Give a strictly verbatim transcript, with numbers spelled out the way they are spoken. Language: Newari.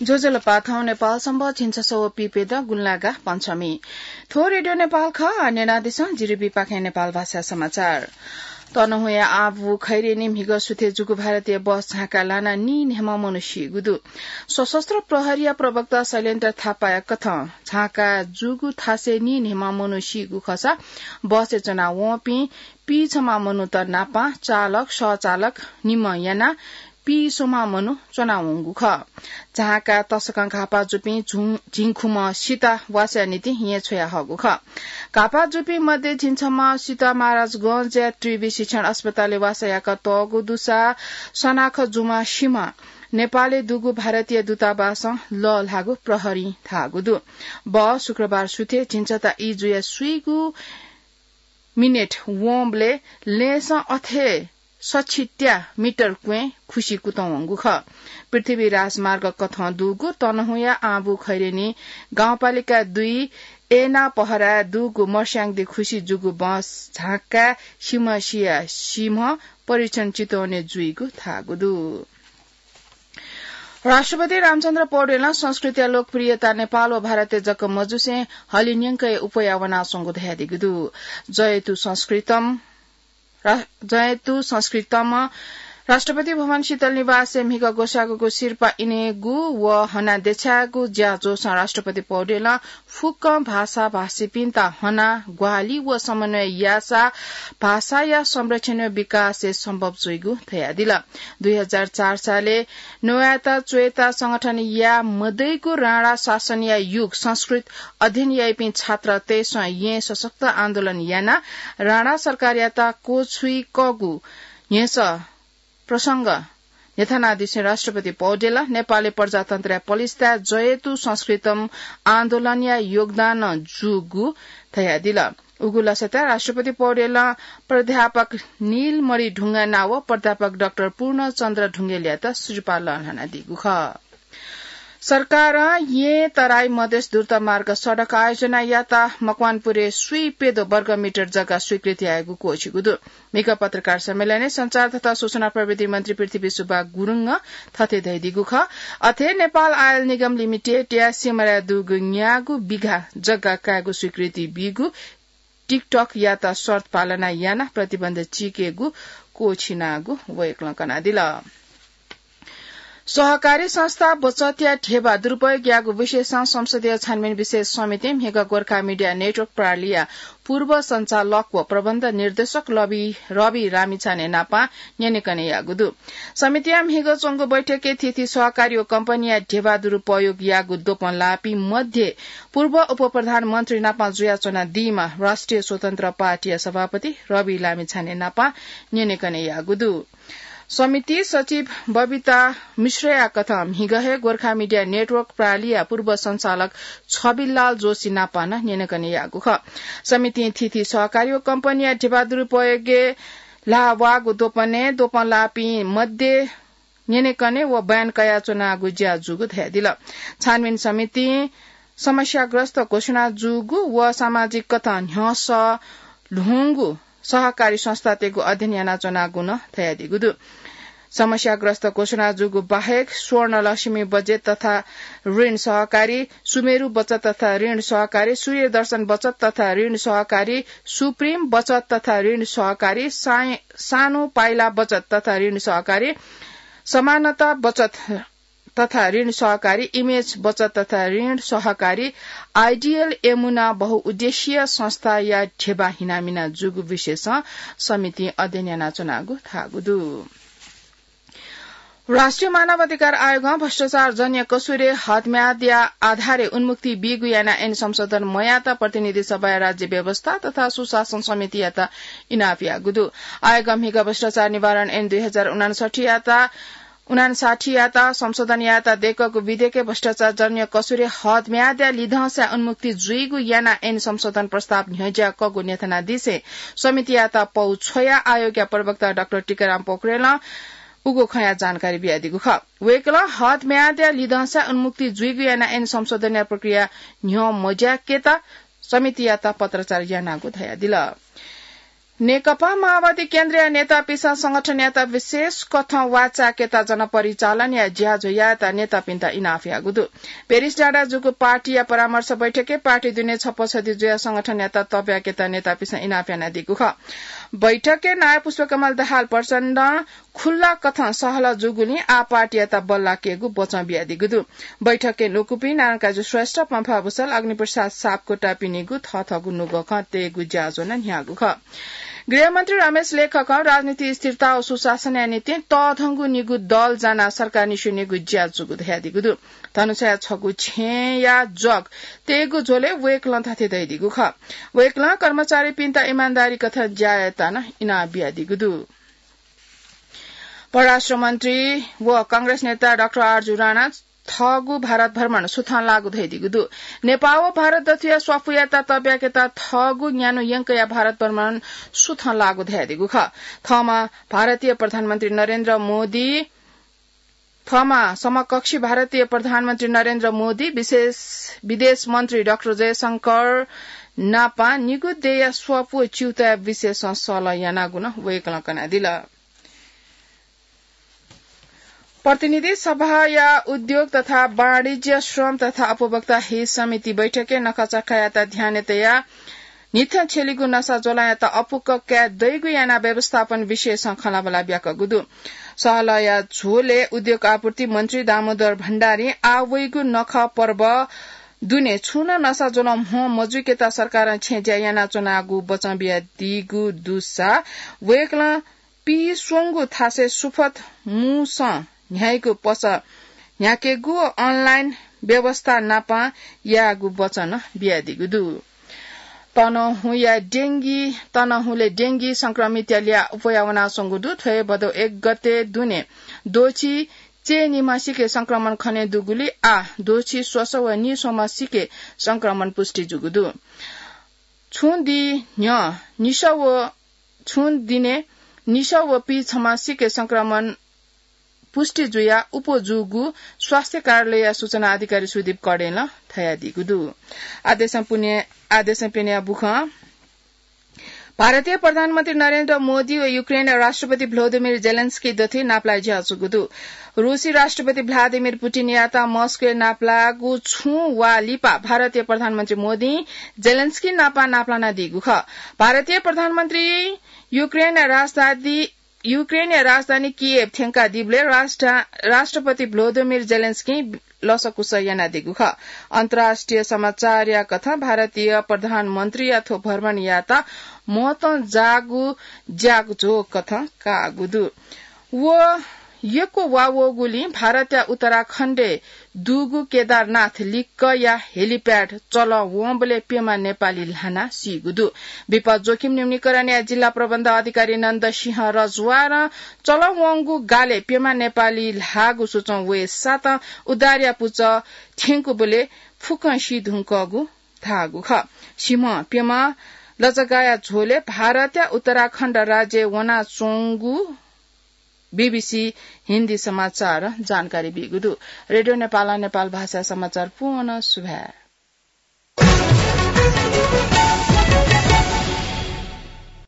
ज्वजलपा, थौं नेपाल संवत् झिंछसः व पीप्यदँ गुंलागा पञ्चमी। थ्व रेडियो नेपाल खः। आः न्यनादिसँ, जिरिबीपाखें नेपाल भाषा समाचार। तनहुँया आँबु खैरेनी म्हिगः सुथय् जूगु भारतीय बस झांकाः लानाः नीन्हय्म्ह मनू सीगु दु। सशस्त्र प्रहरीया प्रवक्ता शैलेन्द्र थापाया कथं झांकाः जूगु थासय् नीन्हय्म्ह मनू सीगु खःसा बसय् च्वनावंपिं पीछम्ह मनूत नापं चालक, सहचालक निम्ह यानाः पीस्वम्ह मनू च्वनावंगु खः। झांकाः तसकं घाःपाः जूपिं झुं-, झिंखुम्ह सित वासःया निंतिं येँ छ्वयाहःगु खः। घाःपाः जूपिं मध्ये झिंछम्ह सित महाराजगंजया त्रिवि शिक्षण अस्पतालय् वासः याकातःगु दुसा सनाख जूम्ह सिम्ह नेपालय् दुगु भारतीय दूतावासं लःल्हाःगु प्रहरीं धाःगु दु। बस शुक्रबार सुथय् झिंछता इजुया स्वीगू मिनेट वंबलय् लँय्‌सं अथे सछि त्या मिटर क्वँय् खुसि कुतुं वंगु खः। पृथ्वी राजमार्ग कथं दुगु तनहुँया आँबु खैरेनी गाउँपालिका दुई एना पहराय् दुगु मर्स्याङदी खुसि जूगु बस झांकाः सिम्ह सिया सिम्ह परीक्षण चितवने जुइगु धाःगु दु। राष्ट्रपति रामचन्द्र पौडेलं संस्कृतया लोकप्रियता नेपाल व भारतय् जक मजुसें हलिंन्यंकय् उपया वनाच्वंगु धयादीगु दु। जयतु संस्कृतम् रा-, जयतु संस्कृतम राष्ट्रपति भवन शीतल निवासय् म्हिगः ग्वसाःगुगु सिरपाः इनेगु व हना देछायेगु ज्याझ्वलय् राष्ट्रपति पौडेलं फुक्क भाषाभाषीपिन्त हना ग्वाहालि व समन्वय याःसा भाषाया संरक्षण व विकासय् सम्भव जुइगु धयादिल। दुई हजार चार सालय् नवायेत च्वयेत संगठन याये मदइगु राणा शासनया युग संस्कृत अध्ययन याइपिं छात्रतय्सं येँ सशक्त आन्दोलन यानाः राणा सरकारयात क्वछुइकःगु न्ह्यसः प्रसंग न्ह्यथनादिसें राष्ट्रपति पौडेलं नेपालय् प्रजातन्त्रया पलिस्ताय् जयतु संस्कृतम आन्दोलनया योगदान जूगु धयादिल। उगु लसताय् राष्ट्रपति पौडेलं प्राध्यापक नीलमणि ढुङ्गाना व प्राध्यापक डाक्टर पूर्णचन्द्र ढुङ्गेलयात सिरपाः लःल्हानादीगु खः। सरकारं येँ तराई मधेस द्रुत मार्ग सडक आयोजना यात। मकवानपुरय् स्वीप्यद्वः वर्गमिटर जग्गा स्वीकृति यायेगु क्वःछिगु दु। म्हिगः पत्रकार सम्मेलनय् सञ्चार तथा सूचना प्रविधि मन्त्री पृथ्वी सुब्बा गुरुङं थथे धयादीगु खः। अथे नेपाल आयल निगम लिमिटेडया सिमराय् दुगु न्यागू बिघा जग्गा कायेगु स्वीकृति बीगु TikTok यात शर्त पालना यानाः प्रतिबन्ध चीकेगु क्वःछिनागु वय्कलं कनादिल। सहकारी संस्था बचतया ध्यबा दुरुपयोग याःगु विषयसं संसदीय छानबिन विशेष समितिं म्हिगः गोर्खा मिडिया नेटवर्क प्रालिया पूर्व सञ्चालक व प्रबन्ध निर्देशक रवि, रवि लामिछाने नापं न्यनेकने याःगु दु। समितिया म्हिगः च्वंगु बैठकय् थीथी सहकारी व कम्पनीया ध्यबा दुरुपयोग याःगु द्वपं लाःपिं मध्ये पूर्व उपप्रधानमन्त्री नापं जुयाच्वनादीम्ह राष्ट्रिय स्वतन्त्र पार्टीया सभापति रवि लामिछाने नापं न्यनेकने याःगु दु। समिति सचिव बबिता मिश्रया कथं म्हिगः हे गोर्खा मिडिया नेटवर्क प्रालिया पूर्व सञ्चालक छबिलाल जोशी नापं नं न्यनेकने याःगु खः। समितिं थीथी सहकारी व कम्पनीया ध्यबा दुरुपयोगय् ल्हाः वःगु द्वपनय् द्वपं लाःपिं मध्ये न्यनेकने व बयान कयाच्वनागु ज्या जूगु धयादिल। छानबिन समितिं समस्याग्रस्त घोषणा जूगु व सामाजिक कथं न्ह्यसः ल्ह्वंगु सहकारी संस्थातय्गु अध्ययन यानाच्वनागु नं धयादीगु दु। समस्याग्रस्त घोषणा जूगु बाहेक स्वर्णलक्ष्मी बचत तथा ऋण सहकारी, सुमेरु बचत तथा ऋण सहकारी, सूर्यदर्शन बचत तथा ऋण सहकारी, सुप्रिम बचत तथा ऋण सहकारी, साय-, सानो पाइला बचत तथा ऋण सहकारी, समानता बचत तथा ऋण सहकारी, इमेज बचत तथा ऋण सहकारी, आइडियल यमुना बहुउद्देश्यीय संस्थाया ध्यबा हिनामिना जूगु विषयसं समितिं अध्ययन यानाच्वनागु धाःगु दु। राष्ट्रिय मानव अधिकार आयोगं भ्रष्टाचार जन्य कसुरय् हदम्यादया आधारय् उन्मुक्ति बीगु याना ऐन संशोधन मयाःत प्रतिनिधि सभाया राज्य व्यवस्था तथा सुशासन समितियात इनाप याःगु दु। आयोगं म्हिगः भ्रष्टाचार निवारण ऐन दुई हजार उनान्सठ्ठीयात उनान्सठ्ठीयात संशोधन यायेत दय्कःगु विधेयकय् भ्रष्टाचार जन्य कसुरय् हदम्यादया लिधंसाय् उन्मुक्ति जुइगु याना ऐन संशोधन प्रस्ताव न्ह्यज्याकःगु न्ह्यथनादिसें समितियात पौ छ्वयाः आयोगया प्रवक्ता डाक्टर टीकाराम पोखरेलं उगु खँया जानकारी बियादीगु खः। वय्कलं हदम्यादया लिधंसाय् उन्मुक्ति जुइगु याना ऐन संशोधनया प्रक्रिया न्ह्यः मज्याकेत समितियात पत्राचार यानागु धयादिल। नेकपा माओवादी केन्द्रीय नेतापिसं संगठनयात विशेष कथं वाचाय्केत जनपरिचालनया ज्याझ्वः यायेत नेतापिन्त इनाप याःगु दु। पेरिस डाँडा जूगु पार्टीया परामर्श बैठकय् पार्टी दुने छप्पसदी जुयाः संगठनयात तब्याकेत नेतापिसं इनाप यानादीगु खः। बैठकय् नायः पुष्पकमल दाहाल प्रचण्डं खुल्ला कथं सहलह जूगुलिं आः पार्टीयात बल्लाकेगु बचं बियादीगु दु। बैठकय् न्वकूपिं नारायणकाजी श्रेष्ठ, पम्फा भुसाल, अग्निप्रसाद सापकोटापिनिगु थःथःगु नुगः खँ तयेगु ज्याझ्वः नं न्ह्याःगु खः। गृहमन्त्री रमेश लेखकं राजनीतिक स्थिरता व सुशासनया निंतिं तःधंगु निगू दल जानाः सरकार निस्वनेगु ज्या जूगु धयादीगु दु। धनुषाया छगू छेँया जग तयेगु झ्वलय् वय्कलं थथे धयादीगु खः। वय्कलं कर्मचारीपिन्त इमानदारी कथं ज्या यायेत नं इनाप बियादीगु दु। परराष्ट्र मन्त्री व कांग्रेस नेता डाक्टर आरजु राणा थःगु भारत भ्रमण सुथं लाःगु धयादीगु दु। नेपाः व भारत दथुया स्वापू यायेत तब्याकेत थःगु न्यान्हु यंकया भारत भ्रमण सुथं लाःगु धयादीगु खः। थःम्हं भारतीय प्रधानमन्त्री नरेन्द्र मोदी, थःम्हं समकक्षी भारतीय प्रधानमन्त्री नरेन्द्र मोदी, विशेष विदेश मन्त्री डाक्टर जयशंकर नापं निगू देय्या स्वापू व च्यूताया विषयसं सहलह यानागु नं वय्कलं कनादिल। प्रतिनिधि सभाया उद्योग तथा वाणिज्य, श्रम तथा उपभोक्ता हित समिति बैठकय् नखःचखःयात ध्यानय् तयाः न्हिथं छ्यलीगु नसा ज्वलंयात अपुक्क काये दइगु यानाः व्यवस्थापन विषयसं खँल्हाबल्हा ब्याकःगु दु। सहलहया झ्वलय् उद्योग आपूर्ति मन्त्री दामोदर भण्डारीं आः वइगु नखः पर्व दुने छुं नं नसा ज्वलं म्हो मजुइकेत सरकारं छेँज्या यानाच्वनागु बचं बियादीगु दुसा वय्कलं पीस्वंगू थासय् सुपथ मुसं न्ह्याइगु पसः न्ह्याकेगु व online व्यवस्था नापं यायेगु वचन बियादीगु दु। तनहुँया डेंगी, तनहुँले डेंगी संक्रमितया ल्याः अप्वया वनाच्वंगु दु। थ्व हे भदौ एक गते दुने द्वःछि चय्निम्हसिके संक्रमण खने दुगुलिं आः द्वःछि स्वसः व नीस्वम्हसिके संक्रमण पुष्टि जूगु दु। छुं दि न्ह्यः निसः व छुं दिने निसः व पीछम्हसिके संक्रमण पुष्टि जुयाः अप्वः जूगु स्वास्थ्य कार्यालयया सूचना अधिकारी सुदीप कडेलं धयादीगु दु। आदेशं पुने, आदेशं प्यन्या बुखं भारतीय प्रधानमन्त्री नरेन्द्र मोदी व युक्रेनया राष्ट्रपति भ्लोदिमिर जेलेन्स्की दथुइ नापलाये ज्याझ्वःगु दु। रूसी राष्ट्रपति भ्लादिमिर पुटिनयात मस्कोय् नापलाःगु छुं वा लिपा भारतीय प्रधानमन्त्री मोदीं जेलेन्स्की नाप नापलानादीगु खः। भारतीय प्रधानमन्त्री युक्रेनया राजधानी, युक्रेनया राजधानी किएभ थ्यंकादीबलय् राष्ट्र-, राष्ट्रपति भ्लोदिमिर जेलेन्स्कीं लसकुस यानादीगु खः। अन्तर्राष्ट्रिय समाचारया कथं भारतीय प्रधानमन्त्रीया थ्व भ्रमणयात महत्वं जाःगु ज्याझ्वः कथं काःगु दु। व यक्व वा वःगुलिं भारतया उत्तराखण्डय् दुगु केदारनाथ लिक्कया helipad चलं वंबलय् प्यम्ह नेपाली ल्हानाः सीगु दु। विपद जोखिम न्यूनीकरणया जिल्ला प्रबन्ध अधिकारी नन्द सिंह रजवारं चलं वंगु गालय् प्यम्ह नेपाली ल्हाःगु सुचं वये सातं उद्धारया पुचः थ्यंकूबलय् फुक्कं सी धुंकूगु धाःगु खः। सिम्ह प्यम्ह लजगाःया झ्वलय् भारतया उत्तराखण्ड राज्यय् वनाच्वंगु बीबीसी हिन्दी समाचारं जानकारी बीगु दु। रेडियो नेपालं नेपाल भाषा समाचार पूवं सुभाय्।